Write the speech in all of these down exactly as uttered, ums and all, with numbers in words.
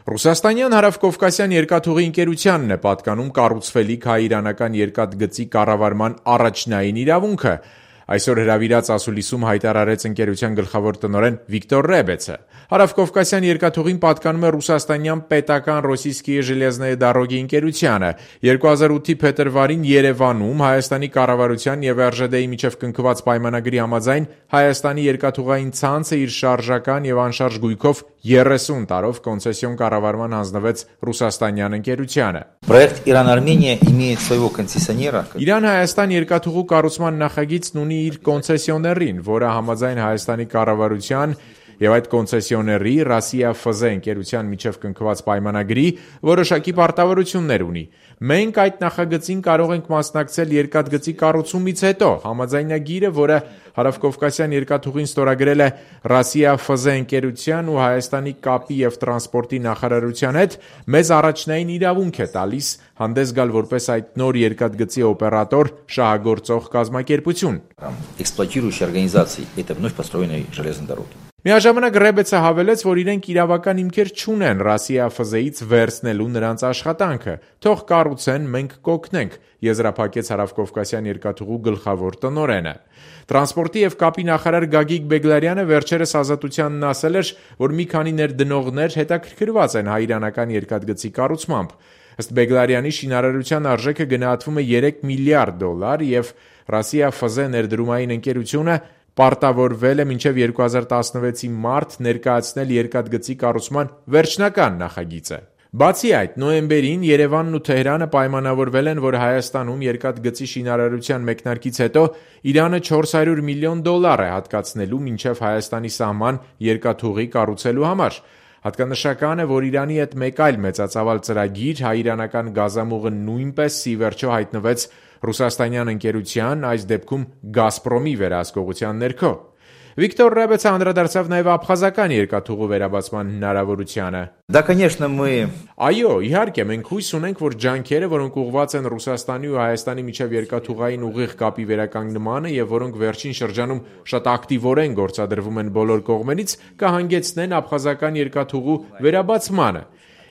Ռուսաստանյան հարավկովկասյան երկաթուղի ընկերությանն է պատկանում կառուցվելիք հայ-իրանական երկաթգծի կառավարման առաջնային իրավունքը, այսօր հրավիրած ասուլիսում հայտարարեց ընկերության գլխավոր տնօրեն Վիկտոր Ռեբեցը։ Հարավկովկասյան երկաթուղին պատկանում է ռուսաստանյան պետական Ռոսիյսկիե ժելեզնոյե դարոգի ընկերությանը։ երկու հազար ութի փետրվարին Երևանում Հայաստանի կառավարության եւ эр ժե դե-ի միջև կնքված պայմանագրի համաձայն Հայաստանի երկաթուղային ցանցը իր շարժական եւ անշարժ գույքով երեսուն տարով կոնցեսիոն կառավարման հանձնվեց ռուսաստանյան ընկերությանը։ Проект Иран-Армения имеет своего концессионера. Իրան-Հայաստան երկաթուղու կառուցման նախագիծն ունի իր կոնցեսիոներին, որը համաձայն Հայաստանի կառավարության եւ այդ կոնցեսիոների Ռասիա Ֆ Զ ընկերության միջև կնքված պայմանագրի որոշակի պարտավորություններ ունի։ Մենք այդ նախագծին կարող ենք մասնակցել երկաթգծի կառուցումից հետո։ Համաձայնագիրը, որը Հարավկովկասյան երկաթուղին ստորագրել է Ռասիա Ֆ Զ ընկերության ու Հայաստանի կապի եւ տրանսպորտի նախարարության հետ, մեզ առաջնային իրավունք է տալիս հանդես գալ որպես այդ նոր երկաթգծի օպերատոր շահագործող կազմակերպություն։ Эксплуатирующей организации этой вновь построенной железной дороги. Միաժամանակ Ռեբեցը հավելեց, որ իրենք իրավական հիմքեր չունեն Ռասիա Ֆ Զ-ից վերցնելու նրանց աշխատանքը։ Թող կառուցեն, մենք կօգնենք, եզրափակեց Հարավկովկասյան երկաթուղու գլխավոր տնօրենը։ Տրանսպորտի եւ կապի նախարար Գագիկ Բեգլարյանը վերջերս Ազատությանն ասել էր, որ մի քանի ներդնողներ հետաքրքրված են հայ-իրանական երկաթգծի կառուցմամբ։ Ըստ Բեգլարյանի շինարարության արժեքը գնահատվում է երեք միլիարդ դոլար եւ Ռասիա Ֆ Զ ներդրումային ընկերությունը պարտավորվել է մինչև երկու հազար տասնվեցի մարտ ներկայացնել երկաթգծի կառուցման վերջնական նախագիծը։ Բացի այդ, նոյեմբերին Երևանն ու Թեհրանը պայմանավորվել են, որ Հայաստանում երկաթգծի շինարարության մեկնարկից հետո Իրանը չորս հարյուր միլիոն դոլար է հատկացնելու մինչև Հայաստանի սահման երկաթուղի կառուցելու համար։ Հատկանշական է, որ Իրանի հետ մեկ այլ մեծածավալ ծրագիր հայ-իրանական գազամուղը նույնպես ի վերջո հայտնվեց ռուսաստանյան ընկերության, այս դեպքում Գազպրոմի վերահսկողության ներքո։ Վիկտոր Ռեբեցը անդրադարձավ նաև աբխազական երկաթուղու վերաբացման հնարավորությանը։ Да, конечно, мы Այո, իհարկե, մենք հույս ունենք, որ ջանքերը, որոնք ուղղված են Ռուսաստանի ու Հայաստանի միջև երկաթուղային ուղիղ կապի վերականգնմանը եւ որոնք վերջին շրջանում շատ ակտիվորեն գործադրվում են բոլոր կողմերից, կհանգեցնեն աբխազական երկաթուղու վերաբացմանը։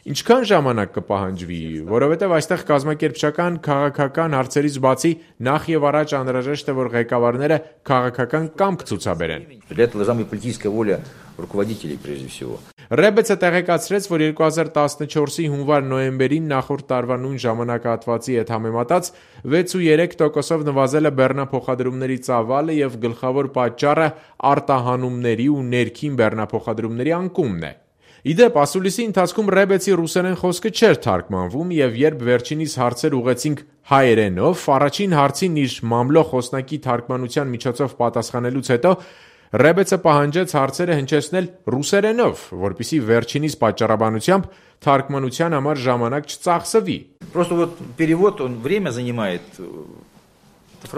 Ինչքան ժամանակ կպահանջվի, որովհետև այստեղ կազմակերպչական, քաղաքական հարցերից բացի նախ եւ առաջ անհրաժեշտ է, որ ղեկավարները քաղաքական կամք ցուցաբերեն։ Для этого должна быть политическая воля руководителей прежде всего. Ռեբեցը տեղեկացրեց, որ երկու հազար տասնչորսի հունվար-նոյեմբերին նախորդ տարվա նույն ժամանակահատվածի հետ համեմատած վեց ու երեք տոկոսով նվազել է բեռնափոխադրումների ծավալը եւ գլխավոր պատճառը արտահանումների ու ներքին բեռնափոխադրումների անկումն է։ Իդեպ, ասուլիսի ընթացքում Ռեբեցի ռուսերեն խոսքը չէր թարգմանվում եւ երբ վերջինիս հարցեր ուղեցինք հայերենով, առաջին հարցին իր մամլո խոսնակի թարգմանության միջոցով պատասխանելուց հետո Ռեբեցը պահանջեց հարցերը հնչեցնել ռուսերենով, որպեսզի վերջինիս պատճառաբանությամբ թարգմանության համար ժամանակ չծախսվի։ Просто вот перевод, он время занимает.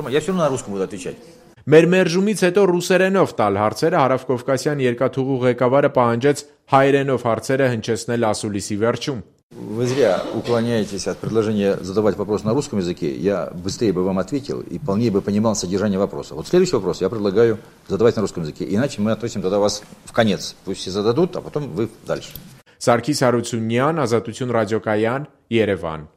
Я все равно на русском буду отвечать. Մեր մերժումից հետո ռուսերենով տալ հարցերը Հարավկովկասյան երկաթուղու ղեկավարը պահանջեց հայերենով հարցերը հնչեցնել ասուլիսի վերջում։ Вы зря уклоняетесь от предложения задавать вопрос на русском языке. Я быстрее бы вам ответил и полнее бы понимал содержание вопроса. Вот следующий вопрос я предлагаю задавать на русском языке. Иначе мы относим тогда вас в конец. Пусть все зададут, а потом вы дальше. Սարգիս Հարությունյան, Ազատություն ռադիոկայան, Երևան։